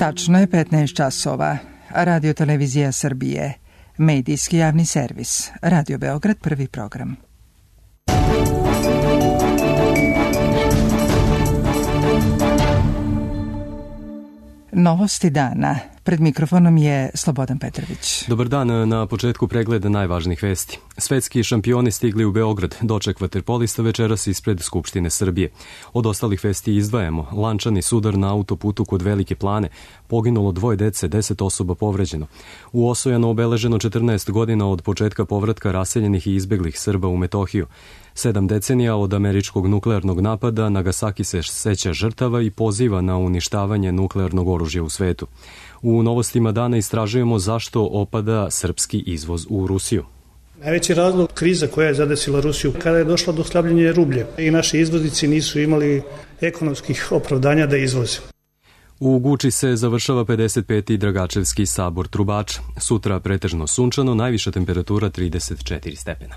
Tačno je 15 časova. Radio Televizija Srbije. Medijski javni servis. Radio Beograd, prvi program. Novosti dana. Pred mikrofonom je Slobodan Petrović. Dobar dan, na početku pregleda najvažnijih vesti. Svetski šampioni stigli u Beograd, doček vaterpolista večeras ispred Skupštine Srbije. Od ostalih vesti izdvajamo lančani sudar na autoputu kod Velike Plane, poginulo 2 dece, 10 osoba povređeno. U Osojanu obeleženo 14 godina od početka povratka raseljenih i izbeglih Srba u Metohiju. 7 decenija od američkog nuklearnog napada, Nagasaki se seća žrtava i poziva na uništavanje nuklearnog oružja u svetu. U novostima dana istražujemo zašto opada srpski izvoz u Rusiju. Najveći razlog kriza koja je zadesila Rusiju kada je došlo do slabljenja rublje i naši izvoznici nisu imali ekonomskih opravdanja da izvoze. U Guči se završava 55. Dragačevski sabor trubača. Sutra pretežno sunčano, najviša temperatura 34 stepena.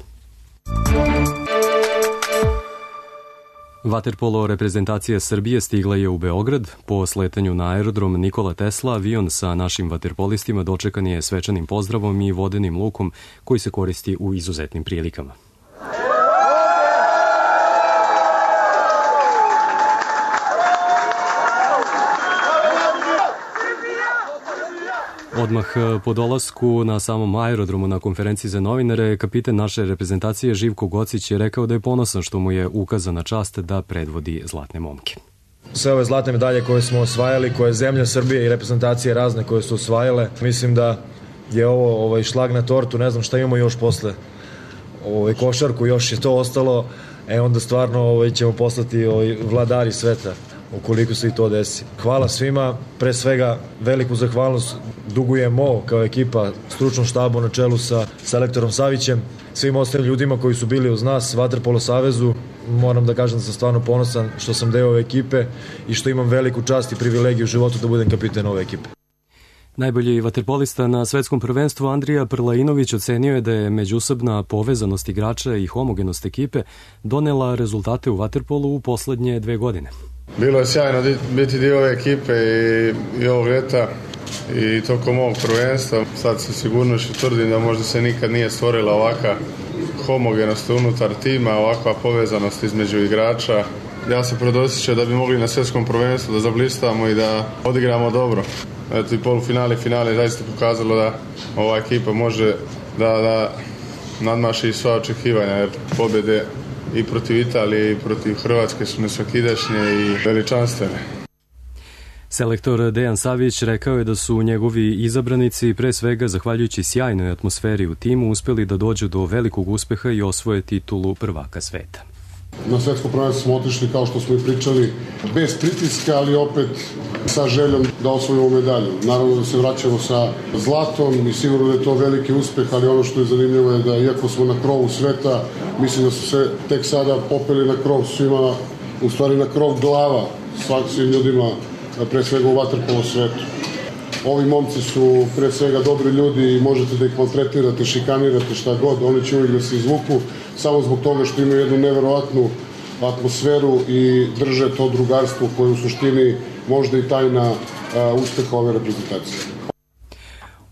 Vaterpolo reprezentacija Srbije stigla je u Beograd. Po sletanju na aerodrom Nikola Tesla, avion sa našim vaterpolistima dočekan je svečanim pozdravom i vodenim lukom koji se koristi u izuzetnim prilikama. Odmah po dolasku na samom aerodromu na konferenciji za novinare, kapiten naše reprezentacije Živko Gocić je rekao da je ponosan što mu je ukazana čast da predvodi zlatne momke. Sve ove zlatne medalje koje smo osvajali, koje zemlja Srbije i reprezentacije razne koje su osvajale, mislim da je ovo šlag na tortu, ne znam šta imamo još posle košarku, još je to ostalo, onda stvarno ćemo postati vladari sveta ukoliko se i to desi. Hvala svima, pre svega veliku zahvalnost dugujemo kao ekipa stručnom štabu na čelu sa selektorom Savićem, svim ostalim ljudima koji su bili uz nas, Vaterpolo savezu. Moram da kažem da sam stvarno ponosan što sam deo ove ekipe i što imam veliku čast i privilegiju u životu da budem kapiten ove ekipe. Najbolji vaterpolista na svetskom prvenstvu Andrija Prlainović ocenio je da je međusobna povezanost igrača i homogenost ekipe donela rezultate u vaterpolu u poslednje 2 godine. Bilo je sjajno biti dio ove ekipe i ovog ljeta i tokom ovog prvenstva. Sad se sigurno tvrdim da možda se nikad nije stvorila ovakva homogenost unutar tima, ovakva povezanost između igrača. Ja se predosjećam da bi mogli na svjetskom prvenstvu da zablistamo i da odigramo dobro. Eto i polufinale i finale zaista pokazalo da ova ekipa može da nadmaši sva očekivanja, jer pobjede i protiv Italije i protiv Hrvatske su nesvakidašnje i veličanstvene. Selektor Dejan Savić rekao je da su njegovi izabranici pre svega zahvaljujući sjajnoj atmosferi u timu uspeli da dođu do velikog uspeha i osvoje titulu prvaka sveta. Na svetsko prvenstvo smo otišli, kao što smo i pričali, bez pritiska, ali opet sa željom da osvojimo medalju. Naravno da se vraćamo sa zlatom i sigurno da je to veliki uspeh, ali ono što je zanimljivo je da iako smo na krovu sveta, mislim da su se tek sada popeli na krov svima, u stvari na krov glava svim ljudima, pre svega u vaterpolo svetu. Ovi momci su pre svega dobri ljudi i možete da ih maltretirate, šikanirate, šta god, oni će uvijek da se izvuku samo zbog toga što imaju jednu neverovatnu atmosferu i drže to drugarstvo koje u suštini možda i tajna uspeha ove reprezentacije.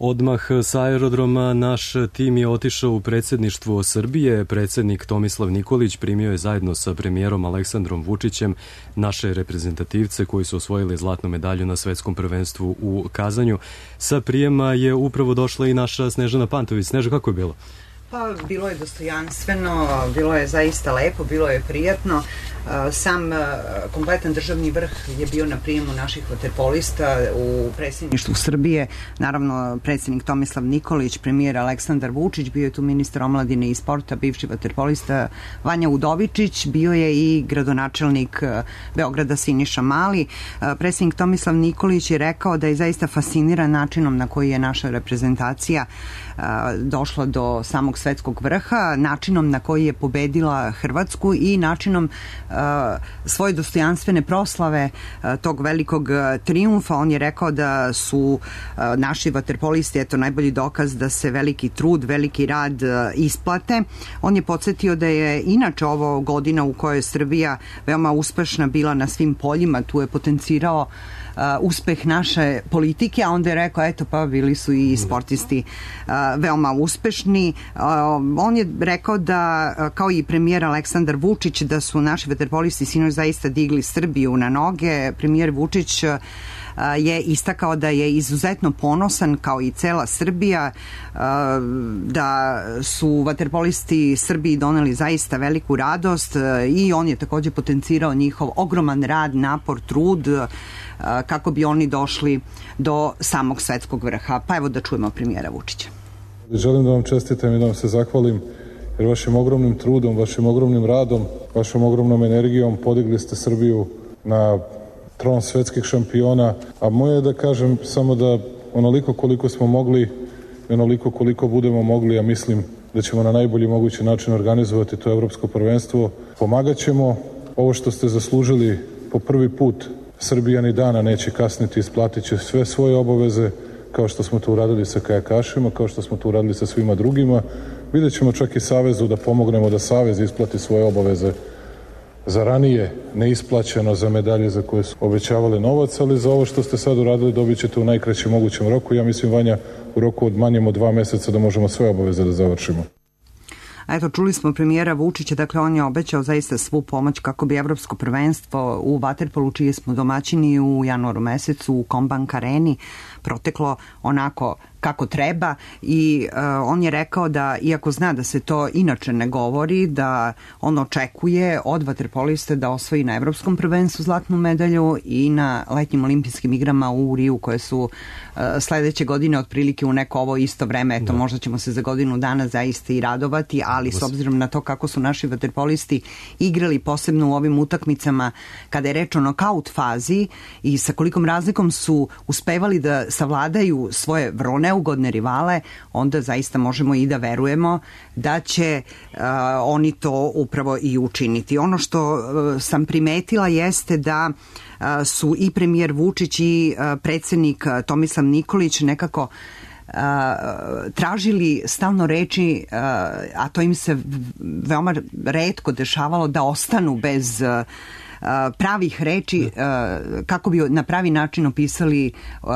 Odmah sa aerodroma naš tim je otišao u predsjedništvo Srbije. Predsjednik Tomislav Nikolić primio je zajedno sa premijerom Aleksandrom Vučićem naše reprezentativce koji su osvojili zlatnu medalju na svetskom prvenstvu u Kazanju. Sa prijema je upravo došla i naša Snežana Pantović. Sneža, kako je bilo? Pa bilo je dostojanstveno, bilo je zaista lepo, bilo je prijatno. Sam kompletan državni vrh je bio na prijemu naših vaterpolista u predsjedništvu Srbije. Naravno, predsjednik Tomislav Nikolić, premijer Aleksandar Vučić, bio je tu ministar omladine i sporta, bivši vaterpolista Vanja Udovičić, bio je i gradonačelnik Beograda Siniša Mali. Predsjednik Tomislav Nikolić je rekao da je zaista fasciniran načinom na koji je naša reprezentacija došla do samog svetskog vrha, načinom na koji je pobedila Hrvatsku i načinom svoje dostojanstvene proslave tog velikog trijumfa. On je rekao da su naši vaterpolisti najbolji dokaz da se veliki trud, veliki rad isplate. On je podsjetio da je inače ovo godina u kojoj je Srbija veoma uspešna bila na svim poljima. Tu je potencirao uspeh naše politike, a onda je rekao, eto pa bili su i sportisti veoma uspešni. On je rekao da, kao i premijer Aleksandar Vučić, da su naši vaterpolisti sinoć zaista digli Srbiju na noge. Premijer Vučić je istakao da je izuzetno ponosan, kao i cela Srbija, da su vaterpolisti Srbiji doneli zaista veliku radost i on je takođe potencirao njihov ogroman rad, napor, trud kako bi oni došli do samog svetskog vrha. Pa evo da čujemo premijera Vučića. Želim da vam čestitam i da vam se zahvalim, jer vašim ogromnim trudom, vašim ogromnim radom, vašom ogromnom energijom podigli ste Srbiju na tron svetskih šampiona, a moje je da kažem samo da onoliko koliko smo mogli i onoliko koliko budemo mogli, ja mislim da ćemo na najbolji mogući način organizovati to evropsko prvenstvo. Pomagat ćemo. Ovo što ste zaslužili po prvi put, Srbija ni dana neće kasniti, isplatit će sve svoje obaveze, kao što smo to uradili sa kajakašima, kao što smo to uradili sa svima drugima. Vidjet ćemo čak i Savezu da pomognemo da Savez isplati svoje obaveze za ranije neisplaćeno, za medalje za koje su obećavali novac, ali za ovo što ste sad uradili dobit ćete u najkraćem mogućem roku. Ja mislim, Vanja, u roku od manjem od 2 meseca da možemo sve obaveze da završimo. A eto, čuli smo premijera Vučića, dakle on je obećao zaista svu pomoć kako bi evropsko prvenstvo u vaterpolu, čije smo domaćini u januaru mesecu u Kombank areni, proteklo onako kako treba i on je rekao da, iako zna da se to inače ne govori, da on očekuje od vaterpoliste da osvoji na evropskom prvenstvu zlatnu medalju i na letnjim olimpijskim igrama u Riju, koje su sledeće godine otprilike u neko ovo isto vreme. Eto, možda ćemo se za godinu dana zaista i radovati, ali s obzirom na to kako su naši vaterpolisti igrali, posebno u ovim utakmicama kada je reč o nokaut fazi i sa kolikom razlikom su uspevali da savladaju svoje vrlo neugodne rivale, onda zaista možemo i da verujemo da će oni to upravo i učiniti. Ono što sam primetila jeste da su i premijer Vučić i predsednik Tomislav Nikolić nekako tražili stalno reči, a to im se veoma retko dešavalo, da ostanu bez pravih reči kako bi na pravi način opisali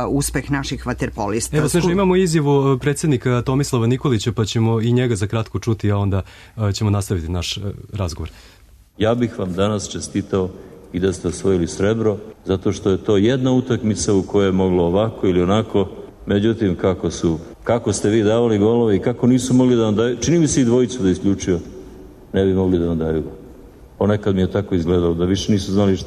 uspeh naših vaterpolista. Evo, Sneža, imamo izjavu predsednika Tomislava Nikolića, pa ćemo i njega za kratko čuti, a onda ćemo nastaviti naš razgovor. Ja bih vam danas čestitao i da ste osvojili srebro, zato što je to jedna utakmica u kojoj je moglo ovako ili onako. Međutim, kako ste vi davali golove i kako nisu mogli da vam daju, čini mi se i dvojicu da isključio, ne bi mogli da vam daju go. Ponekad mi je tako izgledalo, da više nisu znali,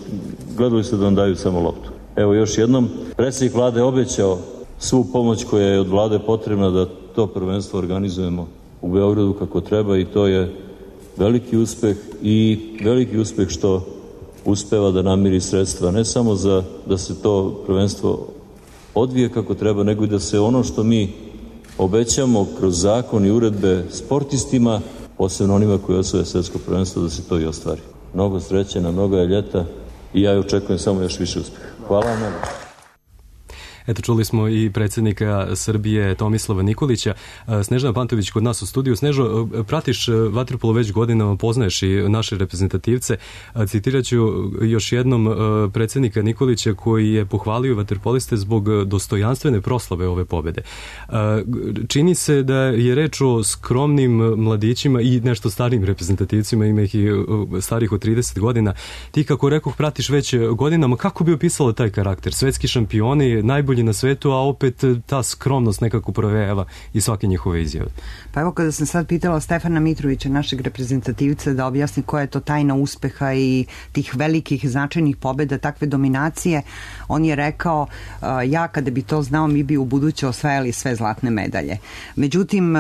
gledali su da vam daju samo loptu. Evo još jednom, predsjednik vlade obećao svu pomoć koja je od vlade potrebna da to prvenstvo organizujemo u Beogradu kako treba i to je veliki uspeh i veliki uspeh što uspeva da namiri sredstva ne samo za da se to prvenstvo odvije kako treba, nego i da se ono što mi obećamo kroz zakon i uredbe sportistima, posebno onima koji osvoje svetsko prvenstvo, da se to i ostvari. Mnogo sreće na mnogo ljeta i ja očekujem samo još više uspeha. Hvala vam mnogo. Eto, čuli smo i predsjednika Srbije Tomislava Nikolića. Snežana Pantović kod nas u studiju. Snežo, pratiš vaterpolo već godinama, poznaješ i naše reprezentativce. Citirat ću još jednom predsjednika Nikolića koji je pohvalio vaterpoliste zbog dostojanstvene proslave ove pobede. Čini se da je reč o skromnim mladićima i nešto starijim reprezentativcima, ima ih i starih od 30 godina. Ti, kako rekoh, pratiš već godinama. Kako bi opisala taj karakter? Svetski šampioni, najbolji na svetu, a opet ta skromnost nekako provejava i svake njihove izjave. Pa evo, kada sam sad pitala Stefana Mitrovića, našeg reprezentativca, da objasni koja je to tajna uspeha i tih velikih značajnih pobjeda, takve dominacije, on je rekao, ja kada bi to znao, mi bi u buduće osvajali sve zlatne medalje. Međutim,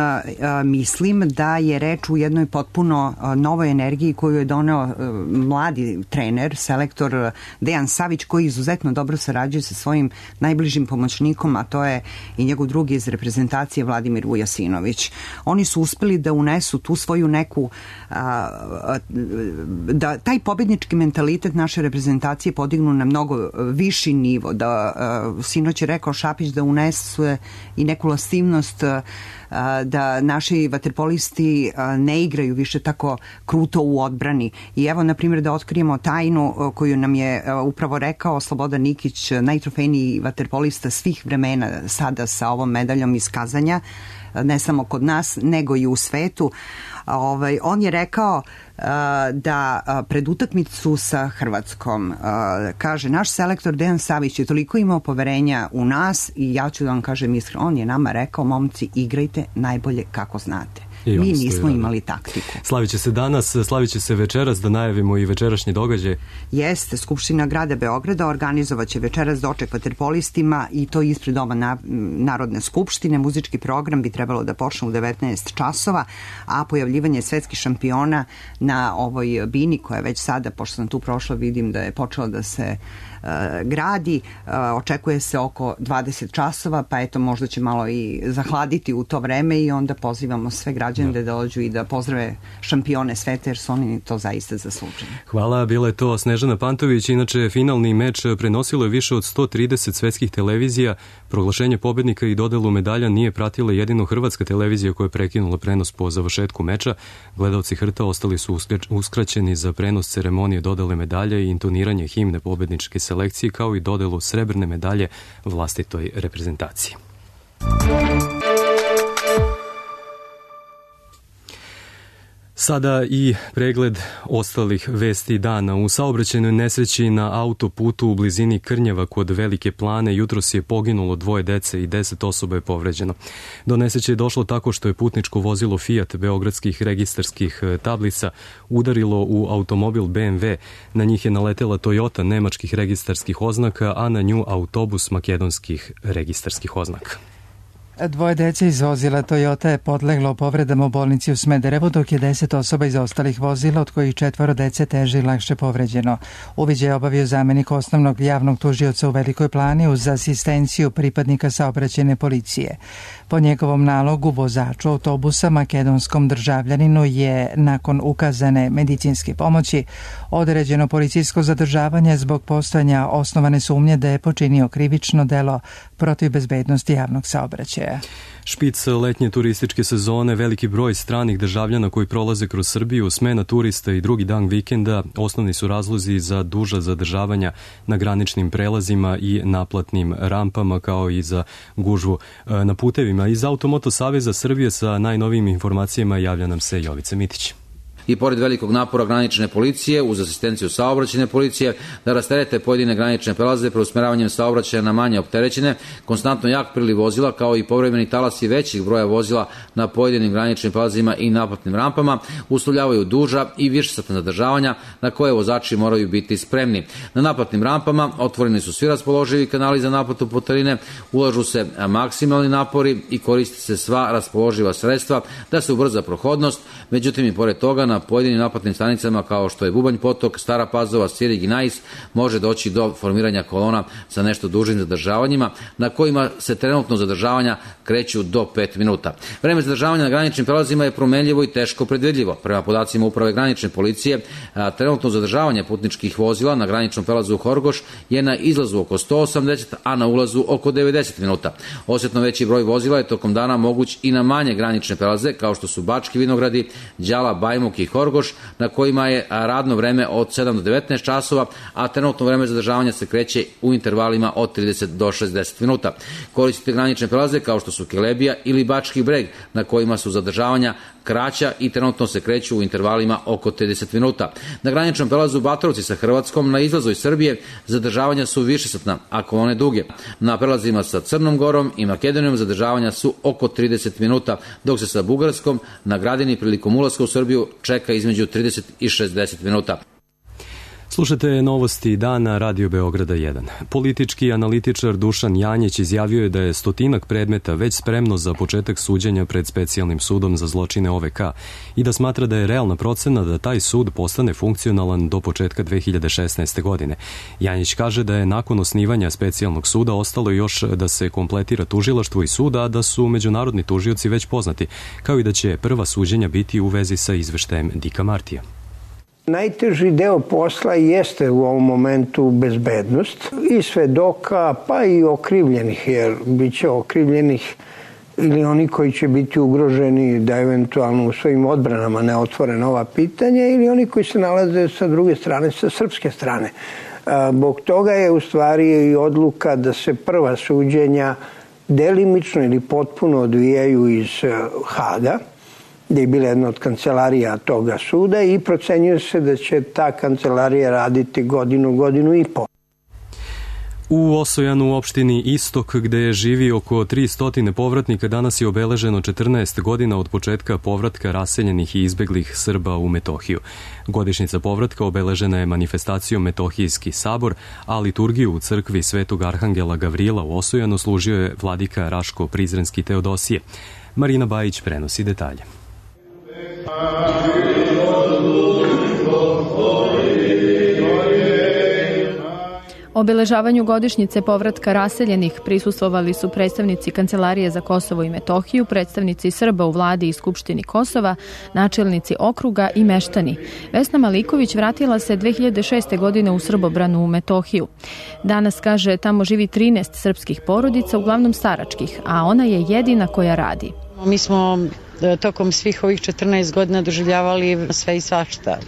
mislim da je reč u jednoj potpuno novoj energiji koju je doneo mladi trener, selektor Dejan Savić, koji izuzetno dobro sarađuje sa svojim najbližim pomoćnikom, a to je i njegov drugi iz reprezentacije Vladimir Vujasinović. Oni su uspeli da unesu tu svoju neku da taj pobednički mentalitet naše reprezentacije podignu na mnogo viši nivo, da sinoć je rekao Šapić da unesu i neku lastivnost, da naši vaterpolisti ne igraju više tako kruto u odbrani. I evo, na primjer, da otkrijemo tajnu koju nam je upravo rekao Slobodan Nikić, najtrofejniji vaterpolista svih vremena sada sa ovom medaljom iz Kazanja, ne samo kod nas, nego i u svetu. On je rekao da pred utakmicu sa Hrvatskom, kaže, naš selektor Dejan Savić je toliko imao poverenja u nas i ja ću da vam kažem iskreno, on je nama rekao, momci, igrajte najbolje kako znate. Mi nismo imali taktiku. Slavit će se danas, slavit će se večeras, da najavimo i večerašnji događaj. Jeste, Skupština grada Beograda organizovat će večeras doček vaterpolistima i to ispred Doma Narodne skupštine. Muzički program bi trebalo da počne u 19 časova, a pojavljivanje svetskih šampiona na ovoj bini koja je već sada, pošto sam tu prošla, vidim da je počela da se gradi, očekuje se oko 20 časova, pa eto, možda će malo i zahladiti u to vreme i onda pozivamo sve građane da dođu i da pozdrave šampione sveta, jer su oni to zaista zaslužili. Hvala, bila je to Snežana Pantović. Inače, finalni meč prenosilo je više od 130 svetskih televizija. Proglašenje pobednika i dodelu medalja nije pratila jedino hrvatska televizija koja je prekinula prenos po završetku meča. Gledalci Hrta ostali su uskraćeni za prenos ceremonije dodele medalje i intoniranje himne pobedničke selekcije, kao i dodelu srebrne medalje vlastitoj reprezentaciji. Sada i pregled ostalih vesti dana. U saobraćajnoj nesreći na autoputu u blizini Krnjeva kod Velike Plane jutros je poginulo 2 dece i 10 osoba je povređeno. Do nesreće je došlo tako što je putničko vozilo Fiat beogradskih registarskih tablica udarilo u automobil BMW. Na njih je naletela Toyota nemačkih registarskih oznaka, a na nju autobus makedonskih registarskih oznaka. 2 dece iz vozila Toyota je podleglo povredama u bolnici u Smederevu, dok je 10 osoba iz ostalih vozila, od kojih 4 dece teže i lakše povređeno. Uviđaj je obavio zamenik osnovnog javnog tužioca u Velikoj Plani uz asistenciju pripadnika saobraćajne policije. Po njegovom nalogu vozaču autobusa makedonskom državljaninu je nakon ukazane medicinske pomoći određeno policijsko zadržavanje zbog postojanja osnovane sumnje da je počinio krivično delo protiv bezbednosti javnog saobraćaja. Špic letnje turističke sezone, veliki broj stranih državljana koji prolaze kroz Srbiju, smena turista i drugi dan vikenda osnovni su razlozi za duža zadržavanja na graničnim prelazima i naplatnim rampama, kao i za gužvu na putevima. Iz Automoto Saveza Srbije sa najnovijim informacijama javlja nam se Jovica Mitić. I pored velikog napora granične policije uz asistenciju saobraćajne policije da rasterete pojedine granične prelaze preusmeravanjem saobraćaja na manje opterećene, konstantno jak priliv vozila kao i povremeni talasi većih broja vozila na pojedinim graničnim prelazima i naplatnim rampama uslovljavaju duža i višesatna zadržavanja na koje vozači moraju biti spremni. Na naplatnim rampama otvoreni su svi raspoloživi kanali za naplatu putarine, ulažu se maksimalni napori i koriste se sva raspoloživa sredstva da se ubrza prohodnost, međutim i pored toga na pojedinim naplatnim stanicama kao što je Bubanj Potok, Stara Pazova, Svirig i Nais može doći do formiranja kolona sa nešto dužim zadržavanjima na kojima se trenutno zadržavanja kreću do 5 minuta. Vreme zadržavanja na graničnim prelazima je promenljivo i teško predvidljivo. Prema podacima Uprave granične policije, trenutno zadržavanje putničkih vozila na graničnom prelazu u Horgoš je na izlazu oko 180, a na ulazu oko 90 minuta. Osjetno veći broj vozila je tokom dana moguć i na manje granične prelaze kao što su Bački Vinogradi, Đala, Bajmuk i Horgoš, na kojima je radno vreme od 7 do 19 časova, a trenutno vreme zadržavanja se kreće u intervalima od 30 do 60 minuta. Koristite granične prelaze kao što su Kelebija ili Bački Breg, na kojima su zadržavanja kraća i trenutno se kreću u intervalima oko 30 minuta. Na graničnom prelazu Batrovci sa Hrvatskom na izlazu iz Srbije zadržavanja su višesatna, a kolone duge. Na prelazima sa Crnom Gorom i Makedonijom zadržavanja su oko 30 minuta, dok se sa Bugarskom na Gradini prilikom ulaska u Srbiju čeka između 30 i 60 minuta. Slušajte novosti dana Radio Beograda 1. Politički analitičar Dušan Janjić izjavio je da je 100 predmeta već spremno za početak suđenja pred specijalnim sudom za zločine OVK i da smatra da je realna procena da taj sud postane funkcionalan do početka 2016. godine. Janjić kaže da je nakon osnivanja specijalnog suda ostalo još da se kompletira tužilaštvo i suda, a da su međunarodni tužioci već poznati, kao i da će prva suđenja biti u vezi sa izveštajem Dika Martija. Najteži deo posla jeste u ovom momentu bezbednost i svedoka, pa i okrivljenih, jer bit će okrivljenih ili oni koji će biti ugroženi da eventualno u svojim odbranama ne otvore nova pitanja ili oni koji se nalaze sa druge strane, sa srpske strane. Zbog toga je u stvari i odluka da se prva suđenja delimično ili potpuno odvijaju iz Haga, gde je bila jedna od kancelarija toga suda i procenjuje se da će ta kancelarija raditi godinu i po. U Osojanu u opštini Istok, gde živi oko 300 povratnika, danas je obeleženo 14 godina od početka povratka raseljenih i izbeglih Srba u Metohiju. Godišnjica povratka obeležena je manifestacijom Metohijski sabor, a liturgiju u crkvi Svetog Arhangela Gavrila u Osojanu služio je vladika Raško Prizrenski Teodosije. Marina Bajić prenosi detalje. Obeležavanju godišnjice povratka raseljenih prisustvovali su predstavnici Kancelarije za Kosovo i Metohiju, predstavnici Srba u vladi i Skupštini Kosova, načelnici okruga i meštani. Vesna Maliković vratila se 2006. godine u Srbobranu u Metohiju. Danas, kaže, tamo živi 13 srpskih porodica, uglavnom staračkih, a ona je jedina koja radi. Mi smo tokom svih ovih 14 godina doživljavali sve i svašta.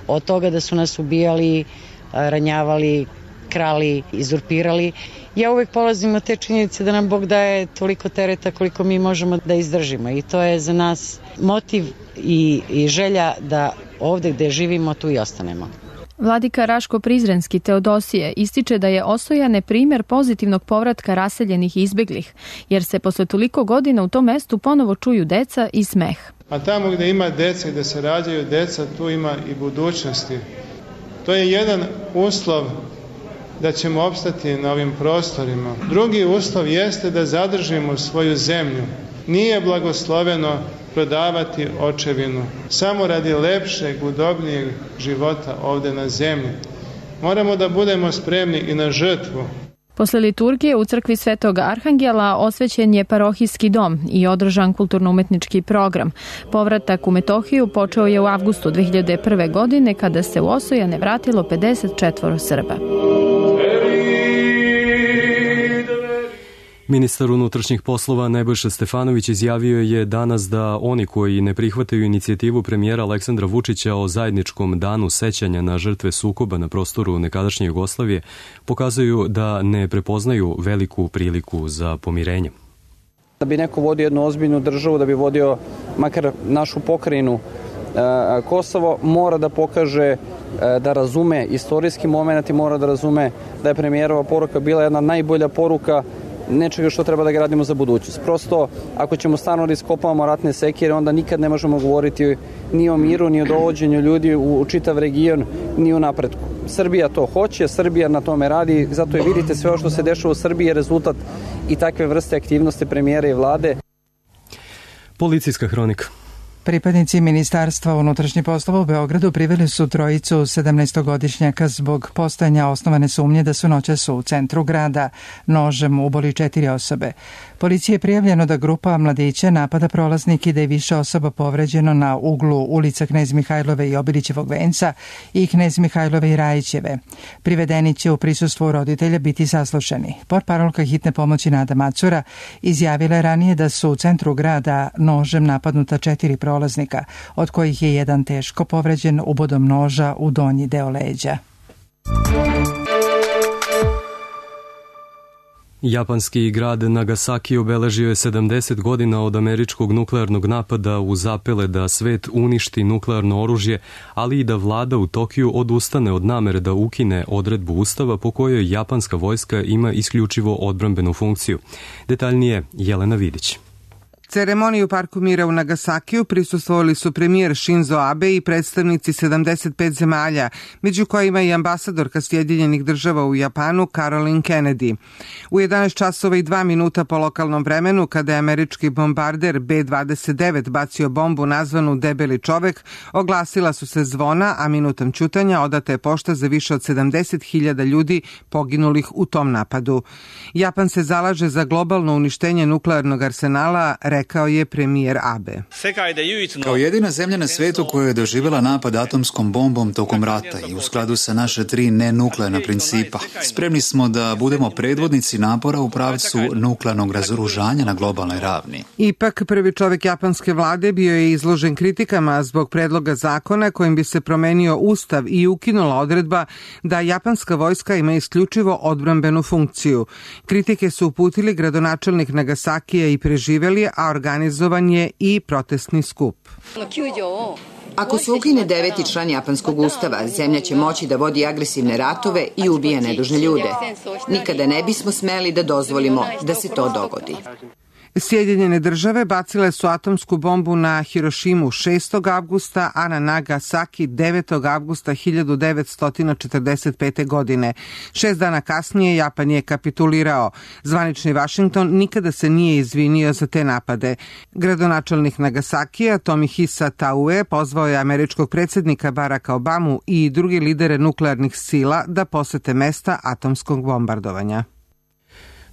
Od toga da su nas ubijali, ranjavali, krali, izurpirali. Ja uvek polazim od te činjenice da nam Bog daje toliko tereta koliko mi možemo da izdržimo i to je za nas motiv i želja da ovde gde živimo tu i ostanemo. Vladika Raško Prizrenski Teodosije ističe da je Osojane primjer pozitivnog povratka raseljenih i izbeglih, jer se posle toliko godina u tom mestu ponovo čuju deca i smeh. A tamo gde ima deca i gde se rađaju deca, tu ima i budućnosti. To je jedan uslov da ćemo opstati na ovim prostorima. Drugi uslov jeste da zadržimo svoju zemlju. Nije blagosloveno prodavati očevinu, samo radi lepšeg, udobnijeg života ovde na zemlji. Moramo da budemo spremni i na žrtvu. Posle liturgije u crkvi Svetog Arhangela osvećen je parohijski dom i održan kulturno-umetnički program. Povratak u Metohiju počeo je u avgustu 2001. godine kada se u Osojane vratilo 54 Srba. Ministar unutrašnjih poslova Nebojša Stefanović izjavio je danas da oni koji ne prihvataju inicijativu premijera Aleksandra Vučića o zajedničkom danu sećanja na žrtve sukoba na prostoru nekadašnje Jugoslavije pokazuju da ne prepoznaju veliku priliku za pomirenje. Da bi neko vodio jednu ozbiljnu državu, da bi vodio makar našu pokrajinu Kosovo, mora da pokaže da razume istorijski moment i mora da razume da je premijerova poruka bila jedna najbolja poruka nečega što treba da gradimo za budućnost. Prosto, ako ćemo stvarno da iskopavamo ratne sekire, onda nikad ne možemo govoriti ni o miru, ni o dovođenju ljudi u čitav region, ni o napretku. Srbija to hoće, Srbija na tome radi, zato je vidite sve ovo što se dešava u Srbiji je rezultat i takve vrste aktivnosti premijera i vlade. Policijska hronika. Pripadnici Ministarstva unutrašnjih poslova u Beogradu priveli su trojicu 17-godišnjaka zbog postojanja osnovane sumnje da su noćas u centru grada nožem uboli 4 osobe. Policiji je prijavljeno da grupa mladića napada prolaznike i da je više osoba povređeno na uglu ulica Knez Mihajlove i Obilićevog venca i Knez Mihajlove i Rajićeve. Privedeni će u prisustvu roditelja biti saslušani. Portparolka hitne pomoći Nada Macura izjavila je ranije da su u centru grada nožem napadnuta 4 prolaznika, od kojih je jedan teško povređen ubodom noža u donji deo leđa. Japanski grad Nagasaki obeležio je 70 godina od američkog nuklearnog napada u zapele da svet uništi nuklearno oružje, ali i da vlada u Tokiju odustane od namere da ukine odredbu ustava po kojoj japanska vojska ima isključivo odbrambenu funkciju. Detaljnije Jelena Vidić. Ceremoniji u Parku mira u Nagasakiju prisustvovali su premijer Shinzo Abe i predstavnici 75 zemalja, među kojima i ambasadorka Sjedinjenih država u Japanu Caroline Kennedy. U 11 časova i 2 minuta po lokalnom vremenu, kada je američki bombarder B-29 bacio bombu nazvanu Debeli čovek, oglasila su se zvona, a minutom ćutanja odata je pošta za više od 70.000 ljudi poginulih u tom napadu. Japan se zalaže za globalno uništenje nuklearnog arsenala, rekao je premijer Abe. Kao jedina zemlja na svetu koja je doživjela napad atomskom bombom tokom rata i u skladu sa naše 3 nenuklearna principa, spremni smo da budemo predvodnici napora u pravcu nuklearnog razoružanja na globalnoj ravni. Ipak, prvi čovek japanske vlade bio je izložen kritikama zbog predloga zakona kojim bi se promenio ustav i ukinula odredba da japanska vojska ima isključivo odbrambenu funkciju. Kritike su uputili gradonačelnik Nagasakija i preživeli, a organizovan je i protestni skup. Ako se ukine 9. član japanskog ustava, zemlja će moći da vodi agresivne ratove i ubija nedužne ljude. Nikada ne bismo smeli da dozvolimo da se to dogodi. Sjedinjene države bacile su atomsku bombu na Hirošimu 6. avgusta, a na Nagasaki 9. avgusta 1945. godine. 6 dana kasnije Japan je kapitulirao. Zvanični Vašington nikada se nije izvinio za te napade. Gradonačelnik Nagasakija Tomohisa Taue pozvao je američkog predsjednika Baracka Obamu i druge lidere nuklearnih sila da posete mesta atomskog bombardovanja.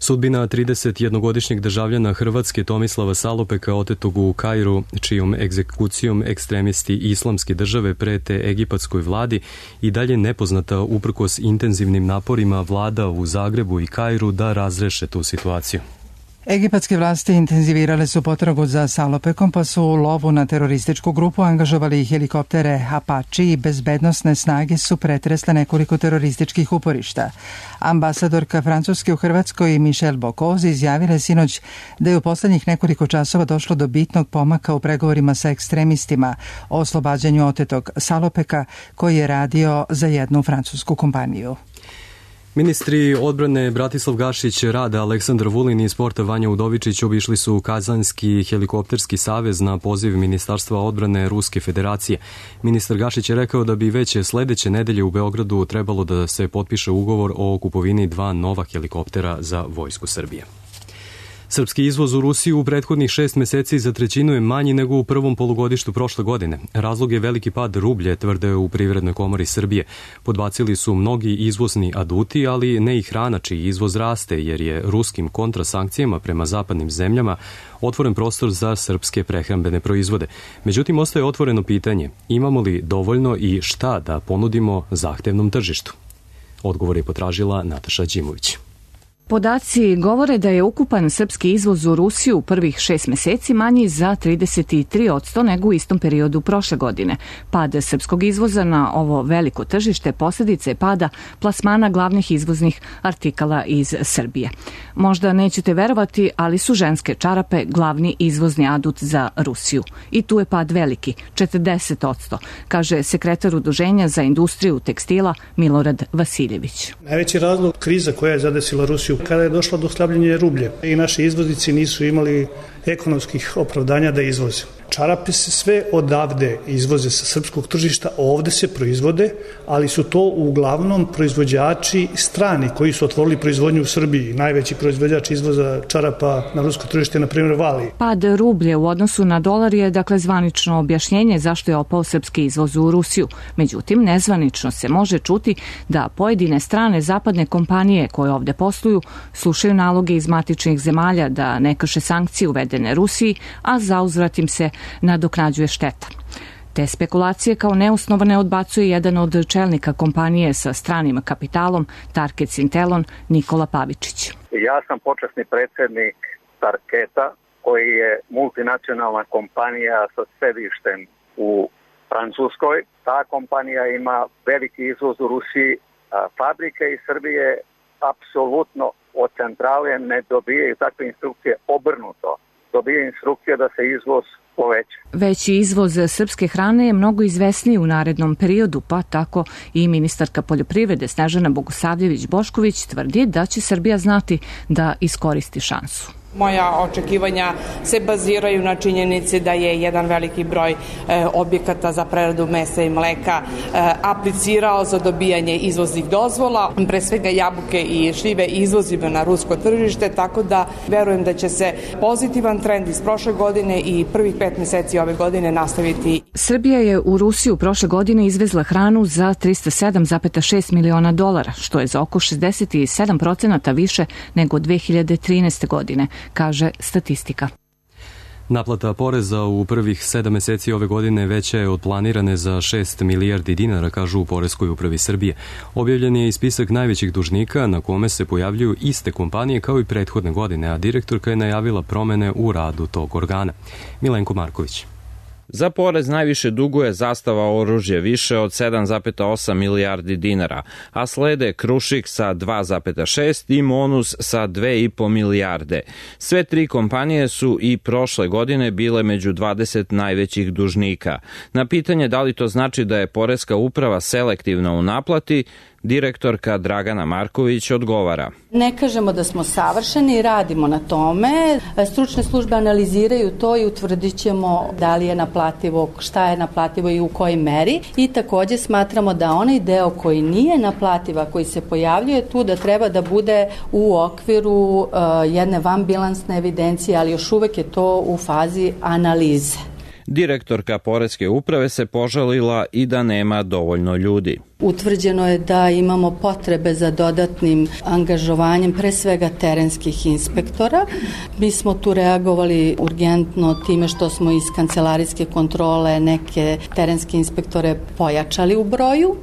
Sudbina 31-godišnjeg državljana Hrvatske Tomislava Salopeka, otetog u Kairu, čijom egzekucijom ekstremisti Islamske države prete egipatskoj vladi, i dalje nepoznata uprkos intenzivnim naporima vlada u Zagrebu i Kairu da razreše tu situaciju. Egipatske vlasti intenzivirale su potragu za Salopekom, pa su u lovu na terorističku grupu angažovali helikoptere Apache i bezbednosne snage su pretresle nekoliko terorističkih uporišta. Ambasadorka Francuske u Hrvatskoj Michelle Bocoz izjavila sinoć da je u poslednjih nekoliko časova došlo do bitnog pomaka u pregovorima sa ekstremistima o oslobađanju otetog Salopeka, koji je radio za jednu francusku kompaniju. Ministri odbrane Bratislav Gašić, Rada, Aleksandar Vulin i sporta Vanja Udovičić obišli su Kazanski helikopterski savez na poziv Ministarstva odbrane Ruske federacije. Ministar Gašić je rekao da bi već sledeće nedelje u Beogradu trebalo da se potpiše ugovor o kupovini 2 nova helikoptera za Vojsku Srbije. Srpski izvoz u Rusiju u prethodnih 6 meseci za trećinu je manji nego u prvom polugodištu prošle godine. Razlog je veliki pad rublje, tvrde u Privrednoj komori Srbije. Podbacili su mnogi izvozni aduti, ali ne i hrana, čiji izvoz raste, jer je ruskim kontrasankcijama prema zapadnim zemljama otvoren prostor za srpske prehrambene proizvode. Međutim, ostaje otvoreno pitanje, imamo li dovoljno i šta da ponudimo zahtevnom tržištu? Odgovor je potražila Nataša Đimović. Podaci govore da je ukupan srpski izvoz u Rusiju u prvih 6 meseci manji za 33% nego u istom periodu prošle godine. Pad srpskog izvoza na ovo veliko tržište posljedica je pada plasmana glavnih izvoznih artikala iz Srbije. Možda nećete verovati, ali su ženske čarape glavni izvozni adut za Rusiju. I tu je pad veliki, 40%, kaže sekretar Udruženja za industriju tekstila Milorad Vasiljević. Najveći razlog kriza koja je zadesila Rusiju kada je došlo do slabljenja rublje i naši izvoznici nisu imali ekonomskih opravdanja da izvoze. Čarape se sve odavde izvoze sa srpskog tržišta, ovde se proizvode, ali su to uglavnom proizvođači strani koji su otvorili proizvodnju u Srbiji. Najveći proizvođač izvoza čarapa na rusko tržište je, na primjer, Vali. Pad rublje u odnosu na dolar je, dakle, zvanično objašnjenje zašto je opao srpski izvoz u Rusiju. Međutim, nezvanično se može čuti da pojedine strane zapadne kompanije koje ovde posluju slušaju naloge iz matičnih zemalja da ne krše sankcije uvedene Rusiji, a zauzvrat im se nadoknađuje šteta. Te spekulacije kao neosnovane odbacuje jedan od čelnika kompanije sa stranim kapitalom Target Sintelon, Nikola Pavičić. Ja sam počasni predsjednik Tarketa, koji je multinacionalna kompanija sa sedištem u Francuskoj. Ta kompanija ima veliki izvoz u Rusiji. Fabrike iz Srbije apsolutno od centrale ne dobijaju takve instrukcije, obrnuto. Dobije instrukcija da se izvoz poveća. Veći izvoz srpske hrane je mnogo izvesniji u narednom periodu, pa tako i ministarka poljoprivrede Snežana Bogosavljević-Bošković tvrdi da će Srbija znati da iskoristi šansu. Moja očekivanja se baziraju na činjenici da je jedan veliki broj objekata za preradu mesa i mleka aplicirao za dobijanje izvoznih dozvola. Pre svega jabuke i šljive izvozimo na rusko tržište, tako da verujem da će se pozitivan trend iz prošle godine i prvih 5 meseci ove godine nastaviti. Srbija je u Rusiju prošle godine izvezla hranu za $307,6 miliona, što je za oko 67% više nego 2013. godine, kaže statistika. Naplata poreza u prvih 7 meseci ove godine veća je od planirane za 6 milijardi dinara, kažu u Poreskoj upravi Srbije. Objavljen je i spisak najvećih dužnika na kome se pojavljuju iste kompanije kao i prethodne godine, a direktorka je najavila promene u radu tog organa. Milenko Marković. Za porez najviše duguje Zastava oružje, više od 7,8 milijardi dinara, a slede Krušik sa 2,6 i Monus sa 2,5 milijarde. Sve tri kompanije su i prošle godine bile među 20 najvećih dužnika. Na pitanje da li to znači da je Poreska uprava selektivna u naplati, direktorka Dragana Marković odgovara. Ne kažemo da smo savršeni, radimo na tome. Stručne službe analiziraju to i utvrdit ćemo da li je naplativo, šta je naplativo i u kojoj meri. I takođe smatramo da onaj deo koji nije naplativa, koji se pojavljuje tu, da treba da bude u okviru jedne vanbilansne evidencije, ali još uvek je to u fazi analize. Direktorka Poreske uprave se požalila i da nema dovoljno ljudi. Utvrđeno je da imamo potrebe za dodatnim angažovanjem pre svega terenskih inspektora. Mi smo tu reagovali urgentno time što smo iz kancelarijske kontrole neke terenske inspektore pojačali u broju.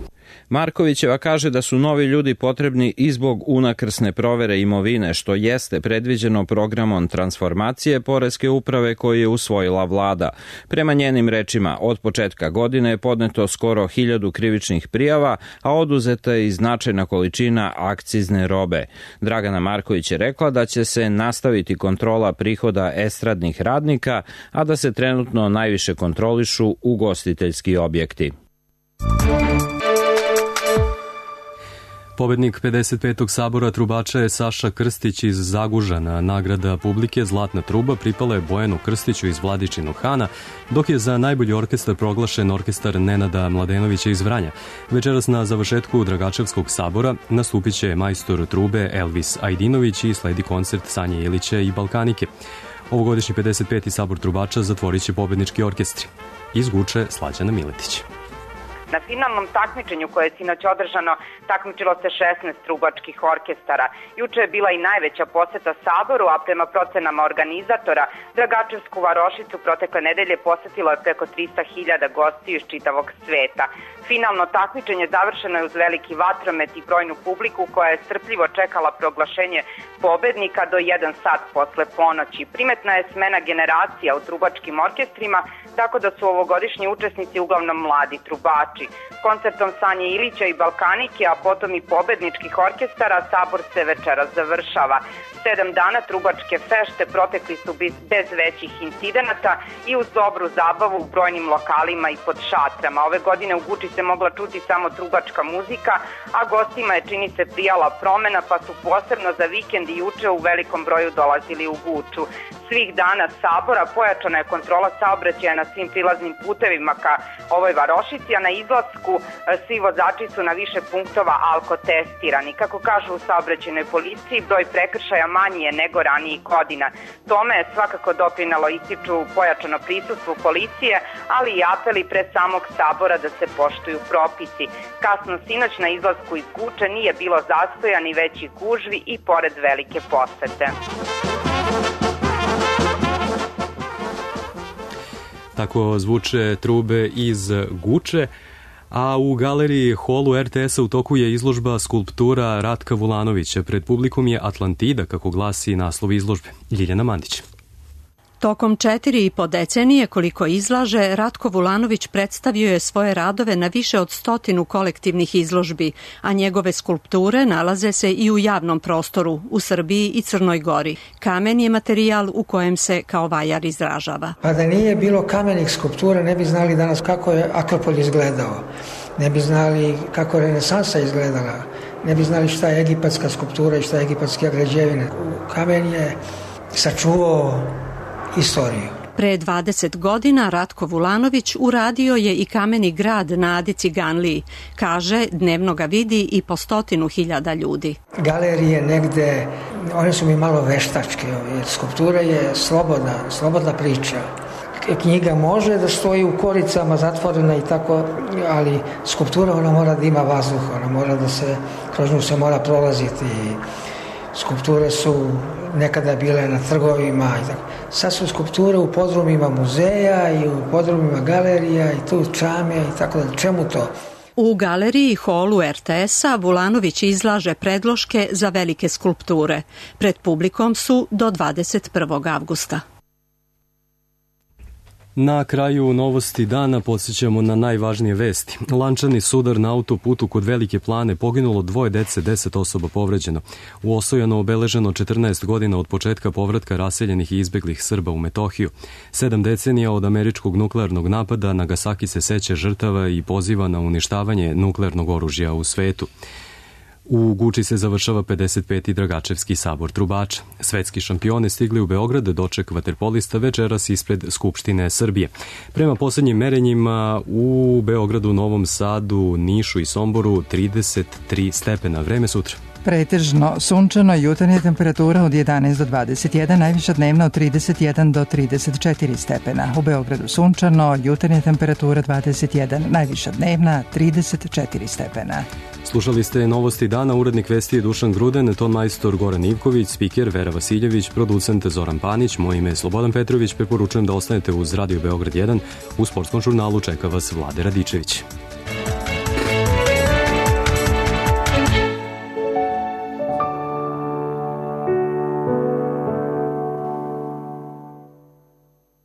Markovićeva kaže da su novi ljudi potrebni i zbog unakrsne provere imovine, što jeste predviđeno programom transformacije Poreske uprave koji je usvojila vlada. Prema njenim rečima, od početka godine je podneto skoro 1000 krivičnih prijava, a oduzeta je i značajna količina akcizne robe. Dragana Marković je rekla da će se nastaviti kontrola prihoda estradnih radnika, a da se trenutno najviše kontrolišu ugostiteljski objekti. Pobednik 55. sabora trubača je Saša Krstić iz Zagužana. Nagrada publike Zlatna truba pripala je Bojanu Krstiću iz Vladičinog Hana, dok je za najbolji orkestar proglašen orkestar Nenada Mladenovića iz Vranja. Večeras na završetku Dragačevskog sabora nastupit će majstor trube Elvis Ajdinović i sledi koncert Sanje Ilića i Balkanike. Ovogodišnji 55. sabor trubača zatvorit će pobednički orkestri. Iz Guče Slađana Miletić. Na finalnom takmičenju koje je sinoć održano takmičilo se 16 trubačkih orkestara. Juče je bila i najveća poseta Saboru, a prema procenama organizatora Dragačevsku varošicu protekle nedelje posetilo je preko 300.000 gostiju iz čitavog sveta. Finalno takmičenje završeno je uz veliki vatromet i brojnu publiku koja je strpljivo čekala proglašenje pobednika do 1 sat posle ponoći. Primetna je smena generacija u trubačkim orkestrima, tako da su ovogodišnji učesnici uglavnom mladi trubači. Koncertom Sanje Ilića i Balkanike, a potom i pobedničkih orkestara, sabor se večeras završava. 7 dana trubačke fešte protekli su bez većih incidenata i uz dobru zabavu u brojnim lokalima i pod šatrama. Ove godine u Guči se mogla čuti samo trubačka muzika, a gostima je čini se prijala promena, pa su posebno za vikend i juče u velikom broju dolazili u Guču. Svih dana sabora pojačana je kontrola saobraćaja na svim prilaznim putevima ka ovoj varošici, a na izlasku svi vozači su na više punktova alkotestirani. Kako kažu u saobraćajnoj policiji, broj prekršaja manji je nego ranijih godina. Tome je svakako doprinalo ističu pojačano prisustvo policije, ali i apeli pre samog sabora da se poštuju propisi. Kasno sinoć na izlasku iz Guče nije bilo zastoja ni većih gužvi i pored velike posete. Tako zvuče trube iz Guče, a u galeriji holu RTS-a u toku je izložba skulptura Ratka Vulanovića. Pred publikom je Atlantida, kako glasi naslov izložbe. Ljiljana Mandić. Tokom 4,5 decenije koliko izlaže, Ratko Vulanović predstavio je svoje radove na više od 100 kolektivnih izložbi, a njegove skulpture nalaze se i u javnom prostoru, u Srbiji i Crnoj Gori. Kamen je materijal u kojem se kao vajar izražava. Pa da nije bilo kamenih skulptura, ne bi znali danas kako je Akropolj izgledao, ne bi znali kako je renesansa izgledala, ne bi znali šta je egipatska skulptura i šta je egipatska građevina. Kamen je sačuvao istoriju. Pre 20 godina Ratko Vulanović uradio je i kameni grad na Adi Ciganliji. Kaže, dnevno ga vidi i po 100.000 ljudi. Galerije negde, one su mi malo veštačke, jer skulptura je slobodna priča. Knjiga može da stoji u koricama zatvorena i tako, ali skulptura ona mora da ima vazduh, ona mora da se, kroz nju se mora prolaziti. Skulpture su nekada bile na trgovima i tako. Sad su skulpture u podrumima muzeja i u podrumima galerija i tu čame i tako da. Čemu to? U galeriji holu RTS-a Vulanović izlaže predloške za velike skulpture. Pred publikom su do 21. avgusta. Na kraju novosti dana podsjećamo na najvažnije vesti. Lančani sudar na autoputu kod Velike Plane, poginulo 2 dece, 10 osoba povređeno. U Osojanu obeleženo 14 godina od početka povratka raseljenih i izbeglih Srba u Metohiju. 7 decenija od američkog nuklearnog napada, Nagasaki se seća žrtava i poziva na uništavanje nuklearnog oružja u svetu. U Guči se završava 55. Dragačevski sabor trubača. Svetski šampioni stigli u Beograd, doček vaterpolista večeras ispred Skupštine Srbije. Prema poslednjim merenjima u Beogradu, Novom Sadu, Nišu i Somboru 33 stepena. Vreme sutra. Pretežno sunčano, jutarnja temperatura od 11 do 21, najviša dnevna od 31 do 34 stepena. U Beogradu sunčano, jutarnja temperatura 21, najviša dnevna 34 stepena. Slušali ste novosti dana, urednik vesti je Dušan Gruden, ton majstor Goran Ivković, spiker Vera Vasiljević, producent Zoran Panić, moje ime je Slobodan Petrović, preporučujem da ostanete uz Radio Beograd 1, u sportskom žurnalu čeka vas Vlade Radičević.